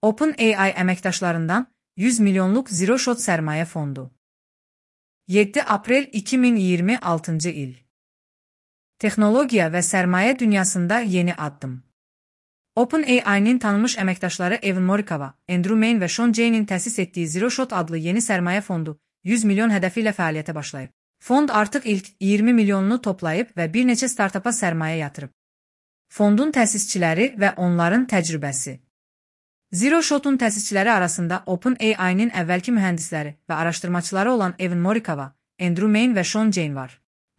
OpenAI əməkdaşlarından 100 milyonluq Zero Shot sərmayə fondu. 7 aprel 2026 il. Texnologiya və sərmayə dünyasında yeni addım. OpenAI-nin tanınmış əməkdaşları Evan Morikova, Andrew Main və Sean Jay'nin təsis etdiyi Zero Shot adlı yeni sərmayə fondu 100 milyon hədəfi ilə fəaliyyətə başlayıb. Fond artıq ilk 20 milyonunu toplayıb və bir neçə startapa sərmayə yatırıb. Fondun təsisçiləri və onların təcrübəsi. Zero Shot'un təsisçiləri arasında OpenAI-nin əvvəlki mühəndisləri və araşdırmaçıları olan Evan Morikova, Andrew Main və Sean Jay var.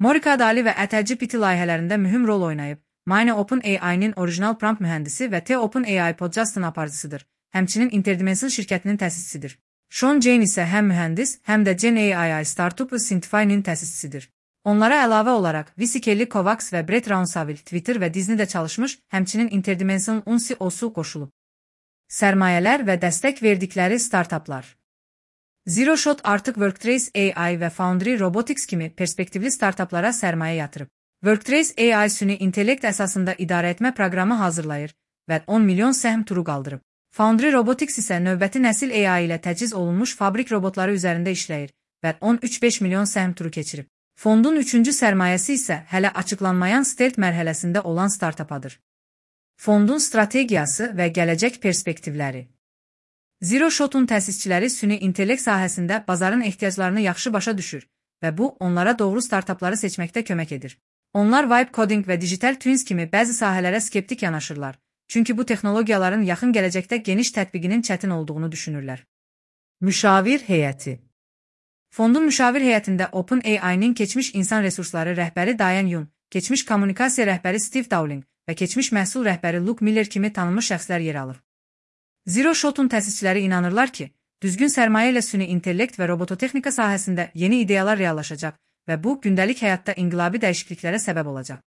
Morikova Ali və ChatGPT layihələrində mühüm rol oynayıb. Main OpenAI-nin orijinal prompt mühəndisi və OpenAI Podjust'ın aparıcısıdır. Həmçinin Interdimension şirkətinin təsisçisidir. Sean Jay isə həm mühəndis, həm də GenAI startup Synthify-nin təsisçisidir. Onlara əlavə olaraq Visi Kelly Kovacs və Brett Rounsaville Twitter və Disney-də çalışmış, həmçinin Interdimension CEO-su qoşulub. Sərmayələr və dəstək verdikləri startaplar. Zero Shot artıq Worktrace AI və Foundry Robotics kimi perspektivli startaplara sərmayə yatırıb. Worktrace AI süni intellekt əsasında idarəetmə proqramı hazırlayır və 10 milyon səhm turu qaldırıb. Foundry Robotics isə növbəti nəsil AI ilə təchiz olunmuş fabrik robotları üzərində işləyir və 13,5 milyon səhm turu keçirib. Fondun 3-cü sərmayəsi isə hələ açıqlanmayan stealth mərhələsində olan startapadır. Fondun strategiyası və gələcək perspektivləri. Zero Shot'un təsisçiləri süni intellekt sahəsində bazarın ehtiyaclarını yaxşı başa düşür və bu, onlara doğru startapları seçməkdə kömək edir. Onlar vibe coding və digital twins kimi bəzi sahələrə skeptik yanaşırlar, çünki bu texnologiyaların yaxın gələcəkdə geniş tətbiqinin çətin olduğunu düşünürlər. Müşavir heyəti. Fondun müşavir heyətində OpenAI-nin keçmiş insan resursları rəhbəri Diane Yun, keçmiş kommunikasiya rəhbəri Steve Dowling və keçmiş məhsul rəhbəri Luke Miller kimi tanınmış şəxslər yer alır. Zero Shot'un təsisçiləri inanırlar ki, düzgün sərmayə ilə süni intellekt və robototexnika sahəsində yeni ideyalar reallaşacaq və bu, gündəlik həyatda inqilabi dəyişikliklərə səbəb olacaq.